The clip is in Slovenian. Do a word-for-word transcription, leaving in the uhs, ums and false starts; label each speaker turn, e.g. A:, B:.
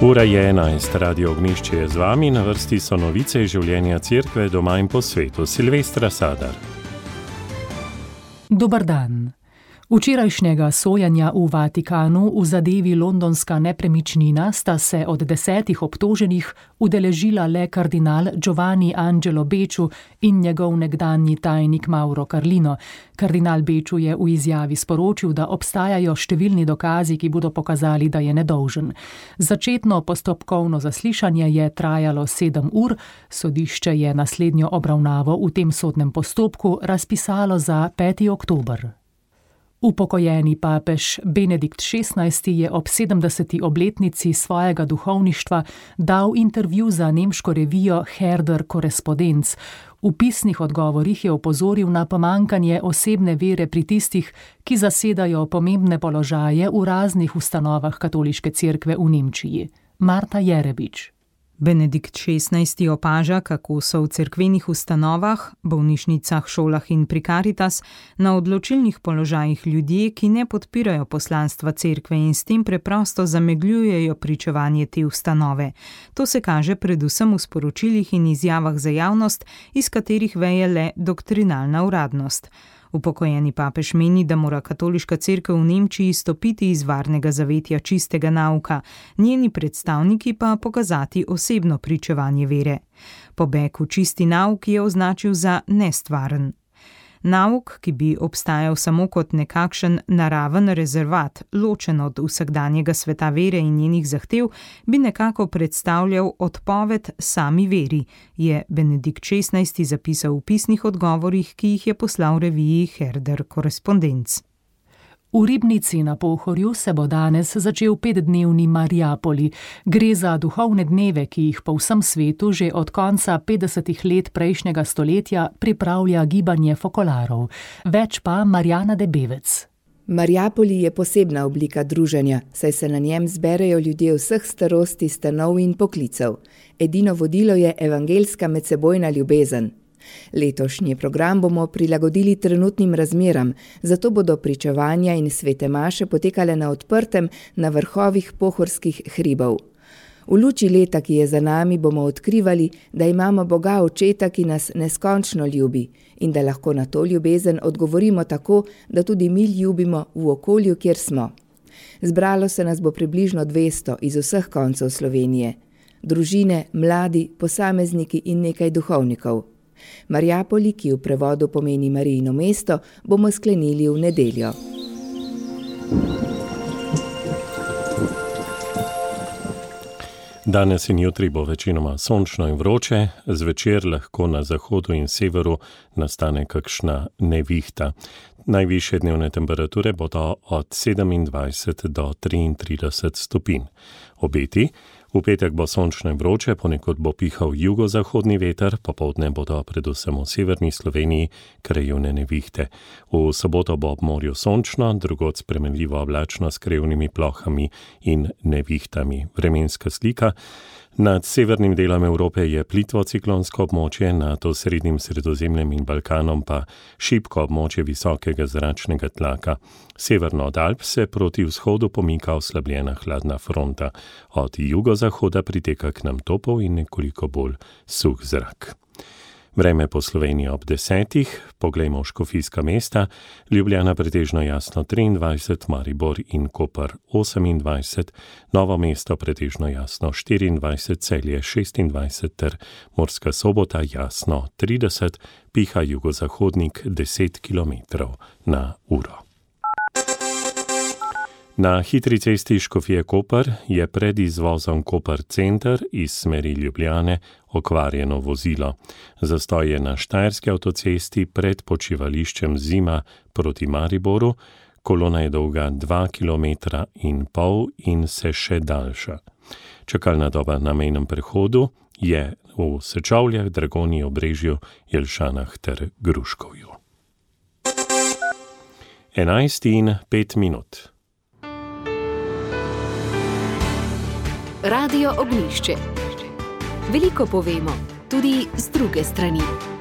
A: Ura je enajst, Radio Ognjišče je z vami, na vrsti so novice iz življenja cerkve doma in po svetu. Silvestra Sadar.
B: Dobar dan. Včerajšnjega sojenja v Vatikanu v zadevi londonska nepremičnina sta se od desetih obtoženih udeležila le kardinal Giovanni Angelo Becciu in njegov nekdanji tajnik Mauro Carlino. Kardinal Becciu je v izjavi sporočil, da obstajajo številni dokazi, ki bodo pokazali, da je nedolžen. Začetno postopkovno zaslišanje je trajalo sedem ur, sodišče je naslednjo obravnavo v tem sodnem postopku razpisalo za peti oktober. Upokojeni papež Benedikt šestnajsti je ob sedemdeseti obletnici svojega duhovništva dal intervju za nemško revijo Herder Korrespondenz. V pisnih odgovorih je opozoril na pomanjkanje osebne vere pri tistih, ki zasedajo pomembne položaje v raznih ustanovah katoliške cerkve v Nemčiji. Marta Jerebič.
C: Benedikt šestnajsti opaža, kako so v cerkvenih ustanovah, bolnišnicah, šolah in pri Caritas na odločilnih položajih ljudje, ki ne podpirajo poslanstva cerkve in s tem preprosto zamegljujejo pričevanje te ustanove. To se kaže predvsem v sporočilih in izjavah za javnost, iz katerih veje le doktrinalna uradnost. Upokojeni papež meni, da mora katoliška cerkev v Nemčiji stopiti iz varnega zavetja čistega nauka, njeni predstavniki pa pokazati osebno pričevanje vere. Pobeg v čisti nauk je označil za nestvaren. Nauk, ki bi obstajal samo kot nekakšen naraven rezervat, ločen od vsakdanjega sveta vere in njenih zahtev, bi nekako predstavljal odpoved sami veri, je Benedikt šestnajsti zapisal v pisnih odgovorih, ki jih je poslal reviji Herder Korrespondenz.
B: V Ribnici na Pohorju se bo danes začel petdnevni Mariapoli. Gre za duhovne dneve, ki jih po vsem svetu že od konca petdesetih let prejšnjega stoletja pripravlja gibanje fokolarov. Več pa Marjana Debevec.
D: Mariapoli je posebna oblika druženja, saj se na njem zberejo ljudje vseh starosti, stanov in poklicev. Edino vodilo je evangeljska medsebojna ljubezen. Letošnji program bomo prilagodili trenutnim razmeram, zato bodo pričevanja in svete maše potekale na odprtem na vrhovih pohorskih hribov. V luči leta, ki je za nami, bomo odkrivali, da imamo Boga Očeta, ki nas neskončno ljubi in da lahko na to ljubezen odgovorimo tako, da tudi mi ljubimo v okolju, kjer smo. Zbralo se nas bo približno dvesto iz vseh koncev Slovenije. Družine, mladi, posamezniki in nekaj duhovnikov. Mariapoli, ki v prevodu pomeni Marijino mesto, bomo sklenili v nedeljo.
A: Danes in jutri bo večinoma sončno in vroče, zvečer lahko na zahodu in severu nastane kakšna nevihta. Najvišje dnevne temperature bodo od sedemindvajset do triintrideset stopinj. Obeti: v petek bo sončno in vroče, ponekod bo pihal jugozahodni veter, popoldne bodo predvsem v severni Sloveniji krajevne nevihte. V soboto bo ob morju sončno, drugod spremenljivo oblačno s krajevnimi plohami in nevihtami. Vremenska slika: nad severnim delom Evrope je plitvo ciklonsko območje, nad osrednjim Sredozemljem in Balkanom pa šibko območje visokega zračnega tlaka. Severno od Alp se proti vzhodu pomika oslabljena hladna fronta. Od jugozahoda priteka k nam topel in nekoliko bolj suh zrak. Vreme po Sloveniji ob desetih, poglejmo škofijska mesta, Ljubljana pretežno jasno triindvajset, Maribor in Koper osemindvajset, Novo mesto pretežno jasno štiriindvajset, Celje šestindvajset ter Murska Sobota jasno trideset, piha jugozahodnik deset kilometrov na uro. Na hitri cesti Škofje-Koper je pred izvozom Koper center iz smeri Ljubljane okvarjeno vozilo. Zastoj je na Štajerski avtocesti pred počivališčem Zima proti Mariboru, kolona je dolga dva kilometra in pol in se še daljša. Čakalna doba na mejnem prehodu je v Sečovljah, Dragonji, Obrežju, Jelšanah ter Gruškovju. enajst in pet minut.
E: Radio Ognjišče. Veliko povemo, tudi z druge strani.